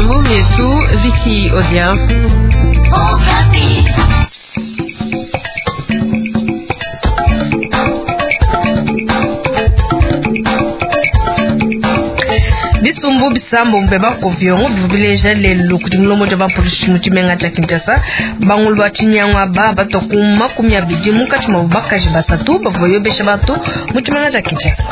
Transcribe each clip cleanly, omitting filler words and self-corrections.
Mumietu Vicky Odia. Bisumbu bisambombo bia bakoviongo bivua bileja lelu kudi mulombodi wa bapolisi mu tshimenga tshia Kinshasa. Bangulu ba tshinyangu aba batua ku 20, munkatshi muabu bakaji basatu bavua bayobesha bantu mu tshimenga tshia Kinshasa.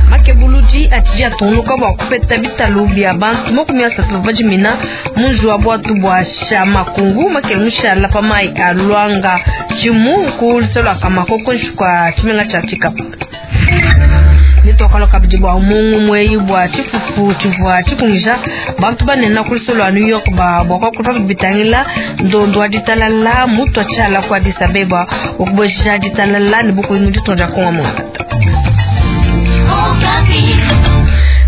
Makebuludi atshidi atungunuka bua kupeta bitalu bia bantu 30 bavua bajimina mu nzubu wa buatu bua Shamakungu makele mushala pa mayi a Luanga Tshimu ku luse lua Kamako kuinshi kua tshimenga tshia Tshikapa. Netuakula kabidi bua mungu eyi bua tshifufu tshivua tshikungija bantu banene ku luse lua New York ba bua kuakula pa bitangila ndondo wa ditalala mutua tshiala ku Addis Abeba bua kubueja ditalala ne bukubi mu ditunga dia Kongo mungalata.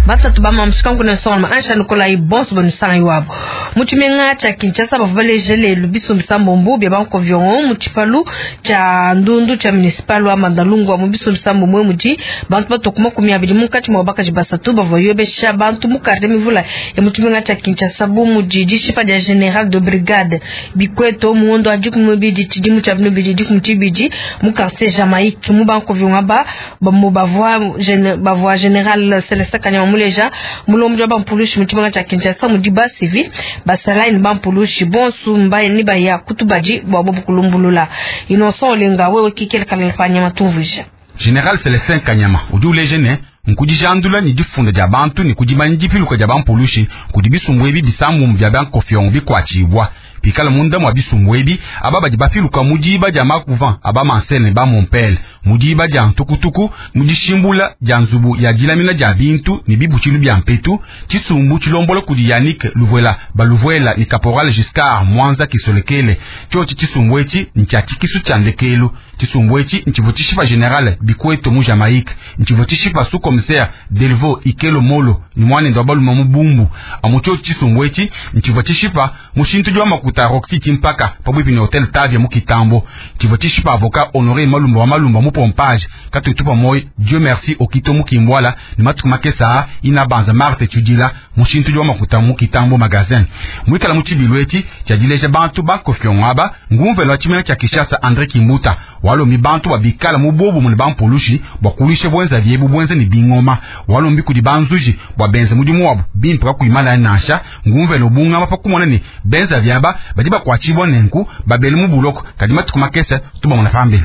Batatu ba mamushikanku ne nsonga ansha Nikolayi bonso banusanga iwabo mu tshimenga tshia Kinshasa bavua baleje lelu bisumbu bisambombo bia bankoviongo mu tshipalu tshia ndundu tshia municipal wa Bandalungwa mu bisumbu bisambombo mudi bantu batua ku 20, munkatshi mua bakaji basatu bavua yobesha bantu mu quartier mivula ya mu tshimenga tshia Kinshasa bu mudi dishipa dia general de brigade Bikweto mu ngondo wa 12 tshidimu tshia 2012 mu quartier Jamaïque mu bankoviongo aba bavua general Celestin Kanyama muleja mulombodi wa bampulushi mu tshimenga tshia Kinshasa mudi ba civil basalayi ne bampulushi bonso mbaye ne baya kutubadi bua bobu kulumbulula. Innocent Olenga wewe kikele kalala pa nyama tumvuija. General Celestin Kanyama udi uleja ne nkudijandula ne difunda dia bantu ne kudimanya dipiluka dia bampulushi kudi bisumbu ebi bisambombo bia bankofiongo bikuatshibua pikala munda mua bisumbu ebi aba badi bapiluka mu diba dia makuvan aba mansene ba mompele mu diba dia ntukutuku mu dishimbula dia nzubu ya dilamina dia bintu ne bibutshilu bia mpetu. Tshisumbu tshilombola kudi Yannick Luvuela Baluvuela ne Caporal Giscard Mwanza Kisolekele. Tshiotshi tshisumbu etshi ntshia tshikisu tshia ndekelu. Tshisumbu etshi ntshivua tshishipa general Bikweto mu Jamaïque, ntshivua tshishipa sous commissaire Delvaux Ikelo Molo ne muanende wa balume mu Bumbu. Amu tshiotshi tshisumbu etshi ntshivua tshishipa mushintudi wa makuta Roxy Tshimpaka pabuipi ne Hotel Tavia mu Kitambo. Tshivua tshishipa avocat Honoré Malumba wa Malumba mu Pompage katutupa moyo Dieu merci Okito mu Kimbwala ne matuku makesa ina banza Marthe Tshidila mushintudi wa makuta mu Kitambo magasin. Mwikala mu tshibilu etshi tshiadileja bantu bakofiongo aba ngumvelo wa tshimenga tshia Kinshasa André Kimbuta walombi bantu babikala mu bobu mu bampulushi bua kulisha bwenza biebu bwenza ne bingoma walombi kudi banzuji bua benze mudimu wabu bimpe kakuimana nansha ngumvelo bungama pa kumona ne benza byaba badi bakuatshibua nenku babele mu buloko kadi matuku makese tubamona pambelu.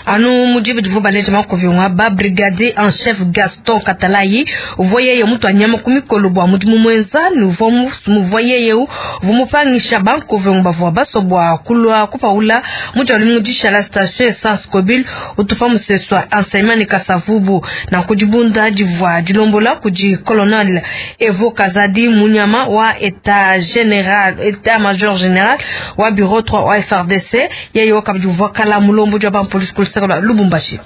Anu mudibu divu baleja makoviongo ba brigadier en chef Gaston Katalayi uvua yeye mutu anyama ku mikolo bua mudimu mwenza ne uvua muvua yeye uvua mupangisha bankoviongo bavua basua bua kulua kupaula mu dia lumingu dishala station essence Kobil utupa museswa enseignement ne Kasavubu na kudibunda divua dilombola kudi colonel Evo Kazadi Munyama wa état général état major général wa bureau 3 wa FARDC yeye wakabidi uvua kala mulombo dia bampolisi kulusaka lwa Lubumbashi.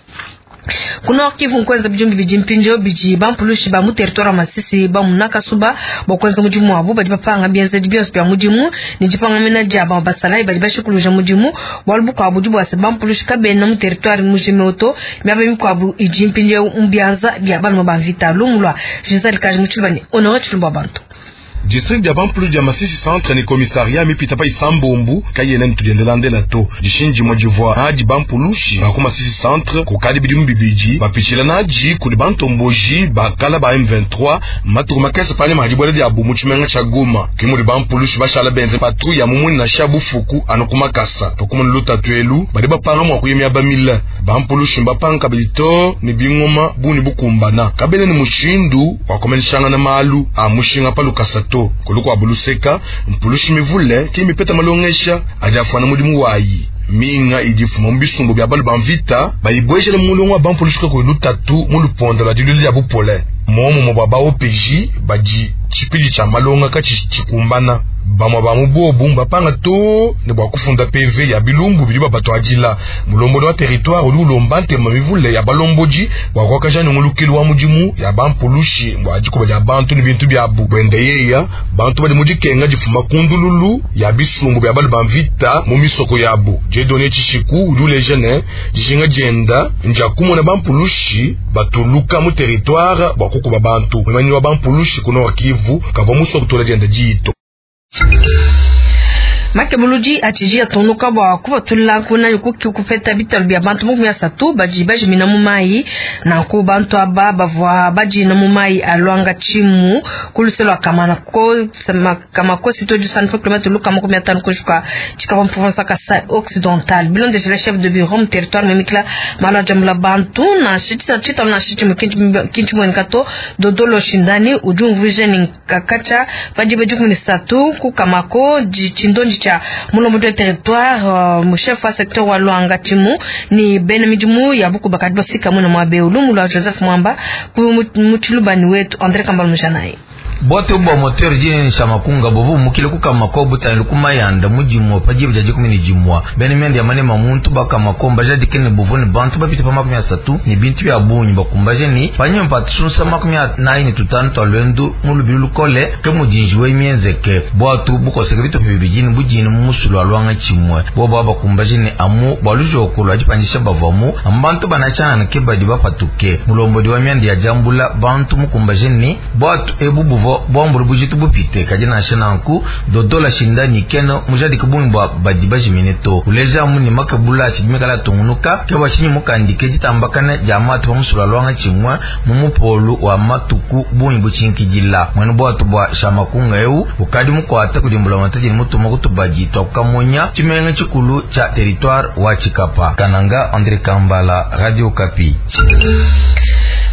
Ku Nord Kivu nkwenza bijumbi bidi mpindio bidi bampulushi ba mu territoire wa Masisi ba mu Nakasuba bua kuenza mudimu wabu badi bapanga bienzedi bionso bia mudimu ne dipangamena dia ba basalayi badi bashikuluja mudimu bualu bukuabu budi bua se bampulushi kabena mu territoire mujime oto miaba mikuabu idi mpindio mu bianza bia balume ba mvita. Lumu lua Gisèle Kaji mu Tshilubani, Honore Tshilumbu wa bantu. District dia bampulushi dia Masisi centre ne commissariat mipita pa isambombu kayena ne tudiendelandela to dishinji divua nadi bampulushi ba ku Masisi centre kukadi bidimu bibidi bapitshila nadi kudi bantomboji bakala ba M23 matuku makese panyima ha dibuela diabu mu tshimenga tshia Goma. Ke mudi bampulushi bashala benze patrouille ya mumuni nansha bufuku anu ku makasa pakumuna lutatu elu badi bapanga mua kuya miaba mile. Bampulushi mbapanga kabidi to ne bingoma bungi bukumbana kabena ne mushindu wa kumeneshangana malu a mushinga pa lukasa to. Kuluku abuluseka mpulushi mivule ke mipeta malongesha adi afwana mudimu wayi minga idi fuma mu bisumbu bya balu ba mvita bayibwejele mu mulongo wa bampulushi kakuyi lutatu mu luponda lwa dilulu lya bupole momumo bwa ba OPJ badi tshipidi tshia malonga katshi tshikumbana. Bamue ba mu bobu mbapanga too ne bua kufunda PV ya bilumbu bidi babatuadila. Mulombodi wa territoire udi ulomba ntema mivule ya balombodi bua kuakaja nyungulukilu wa mudimu ya bampulushi bua dikuba dia bantu ne bintu biabu. Buende yeya, bantu badi mu dikenga difuma ku ndululu ya bisumbu bia balu ba mvita mu misoko yabu. Dieudonne Tshishiku udi uleja ne, dijinga dienda ndia kumona bampulushi batuluka mu territoire bua kukuba bantu. Muimanyinyi wa bampulushi ku Nord Kivu kavua musue kutula dienda diyi to. Makebuludi atshidi atungunuka bua kupatula kuna kupeta bitalu bia bantu 30 badi bajimina mu mayi. Nanku bantu aba bavua badina mu mayi a Luanga Tshimu ku luse lua Kamakosi to du kilomètre luka 50 kujuka tshikapa province Kasai Occidental. Bilondeshela chef de bureau mu territoire mimikila malu ajambula bantu na tshitalu na tshimu kintu mueneka to Dodolo Shindani udi umvuija ne kakacha badi 13 ku Kamako tshindondi cha mulombodi wa territoire mu chef wa secteur wa Luanga Tshimu ni bena midimu ya buku bakadi bafika muna mwa Beulu wa Joseph Mwamba ku mutshilubani wetu André Kambal Mujanayi. Bwate bwa moteur jini shamakunga bovu mukile kukamako butani kumayanda mujimwa pajibu jaji 11 bene myandi ya manema muntu bakamako mbaja dikene bovu ne bantu bapita pa 30 ni bintu bya bunyi bakumbaje ni panyuma patusunsa 45 twa lwendu mulubilu lukole ke mujinji we myenzeke bwatu bukoseke bitope bibijini bujini mu musulu alwanga chimwe bobo bakumbaje ni amu bwalujo ajipanyisha bavamu ambantu banachana ke badi bapatuke mulombodi wa myandi ya jambula bantu mukumbaje ni bwatu ebu buvo bwambulu bujitu bupite kaji na shananku dodola shindani keno mujadi kubunyi bwa badi bajimine to uleja muni makabula chimikala tungunuka ke bwachinyi mukandike jitambakana jamatu pamusula lwanga chimwe mumupolu wa matuku bunyi buchinkijila mwene bwatu bwa shamakunga eu ukadi mukwata kudimbula mataji mutuma kutubaji twakukamonya chimenga chikulu cha territoire wa Chikapa. Kananga, André Kambala, Radio Kapi.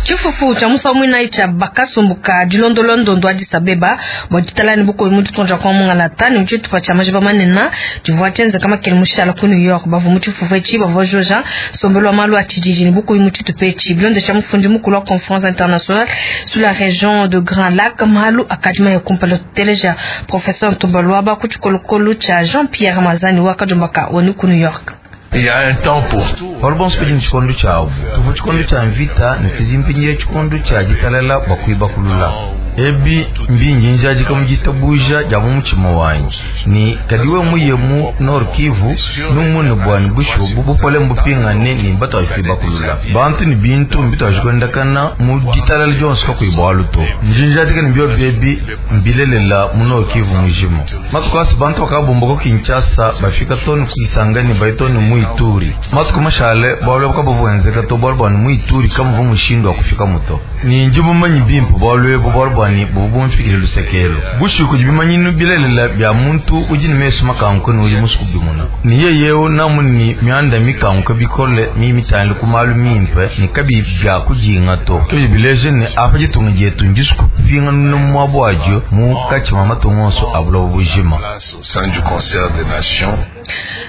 Chifufu cha musa mwina icha bakasumbuka dilondolondo ndo Addis Abeba bwa ditalani buko mu ditonja kwa mungala tani mchitu pa chama jiba manena divwa chenza kama kele mushala ku New York bavu muchifufu echi bavu joja sombelo malu atijiji ni buko muchitu pechi bilonde cha mufundi mukulu wa conférence internationale sur la région de Grand Lac malu akadima ya kumpala teleja professeur Ntumbalwaba kuchikolokolo cha Jean-Pierre Mazani wakajombaka woni ku New York. Il y a un temps pour tout. Walbon spidi chikondo chawo. Tuvu chikondo cha mvita ni tizimpinye chikondo cha jitalala bakuiba kulula. Ebi mbingi njaji kamujita buja jamu muchimo wanyi. Ni kadiwe muyemu Nord Kivu numune bwani busho bupole mbupingane ni bato ashikuiba kulula. Bantu ni bintu mbito ashikwendakana mu jitalala jonso kakuiba waluto. Njinjaji kani mbyo bebi mbilelela mu Nord Kivu mujimo. Matukwasi bantu bakabomboko Kinshasa bafika toni kuisangani baitoni mu Ituri. Matuku mashale bwalwe bukabuvwenzeka to bwalwe bwani mu Ituri kamuvu mushindo wa kufika muto. Ni njibu manyi bimpu bwalwe bwalwe bwani bubumfikire lusekelo. Bushuku jibimanyinu bilelela bya muntu ujini mesu makanko ni uji musuku bimuna. Ni yeyeo namu ni mianda mikanko bikole mi mitani kumalu mimpe ni kabi bya kujinga to. Tuji bileje ni apa jitunga jetu njisuku pinga nunu mwabwajo mu kachima matungonso abula bujima. Au sein du concert des nations.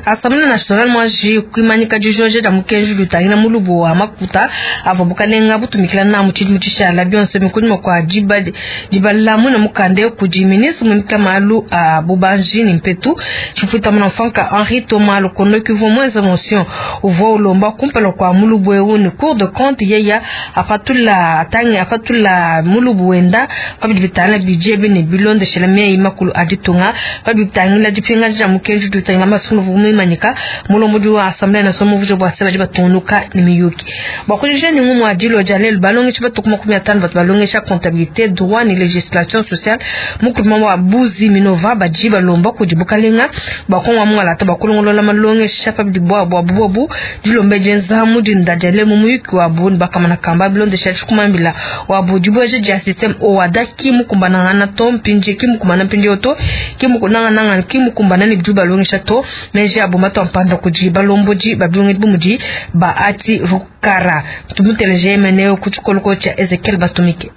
Assemblée nationale mwaji kuimanyika dijoje da mukenji lutangina mulubu wa makuta avo bukalenga butumikila na muchidi muchishala byonse mikunyuma kwa dibala muna mukande kudi ministre mumika malu a bubanji ni mpetu chifuta muna mfanka Henri Thomas Lukono kivu moins émotion uvo ulomba kumpela kwa mulubu ewu ni cour de compte yeya apatula atangi apatula mulubu wenda pabidi bitana budget bene bilonde shela mei makulu aditunga pabidi bitangila dipinga ja mukenji lutangina masunu vumimanyika mulombodi wa assemblée nationale muvuje bwa seba batunuka ni miyuki bakulisha ni ngumu adilo jalel balongesha batu 15 batu balongesha comptabilité droit ni législation sociale mukuma wa buzi minova baji balomba kujibukalenga bakonwa mwala ta bakulongolola malongesha pa bwa bwa bobu dilombe jenza mudinda jale mu muyuki wa bu bakamana kamba bilondesha kumambila wa bu dibweje ja system owada kimukumbana na to mpinje kimukumbana mpinje oto kimukunanga nanga kimukumbana ni bidu balongesha to meje aboma mpanda kuji balomboji babilonge bumudi ba ati rukara tumuteleje meneo kuchikoloko cha Ezekiel Bastumike.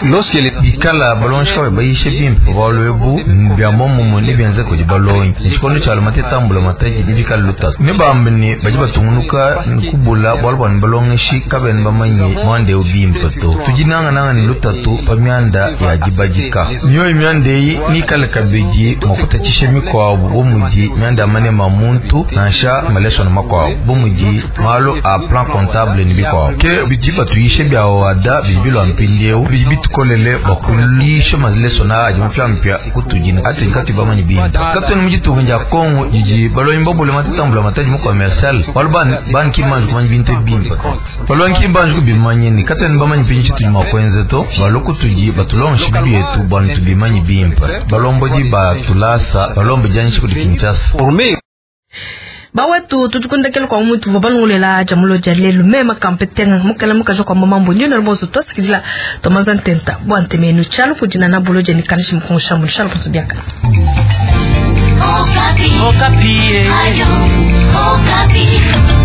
Bikala balongeshi kabayi bayisha bimpe pa bualu ebu, bia muomumue nebienzeke kudi balongi. Ne tshikondo tshialua mateta a mbulamatadi nebikale lutatu. Nebambe ne, badi batungunuka ne kubula bualu bua ne balongeshi kabena bamanye muanda eu bimpe to. Tudi nangananga ne lutatu pa mianda ya dibadika. Mioyo mianda eyi neikale kabidi mua kutatshisha mikuabu bu mudi mianda ya maneme a muntu nansha malesona makuabu bu mudi malu a plan comptable ne bikuabu. Ke bidi batuyisha bia OHADA bidi bilua mpindieu bidi bitukolele bua kuyisha malesona aa adi mapiamapia kutudi ne atudi katuyi bamanye bimpe. Katuena mu ditunga dia Congo didi balongi babule mateta a mbulamatadi mu commercial bualu bana ki mbanji kumanya bintu ebi bimpe to. Balongi ki mbanji kubimanya ne katuena bamanye mpindieu tshitudi mua kuenza to. Balue kutudi batulongeshe bietu bua ne tubimanye bimpe. Balombodi ba tulasa balombe dianyisha kudi Kinshasa. Bawetu, tudi ku ndekelu kua mutu tuvua balongolola dia mulo dia lelu. Meme kampetenga mukala mukaji wa kuamba mambo ndio nalubonso tuasakidila tomaza ntenta bua ntemenu tshialu kudina na bulo dia nikanishi mukongosha mu tshialu bonso biaka. Okapi. Okapi. Ayo, Okapi.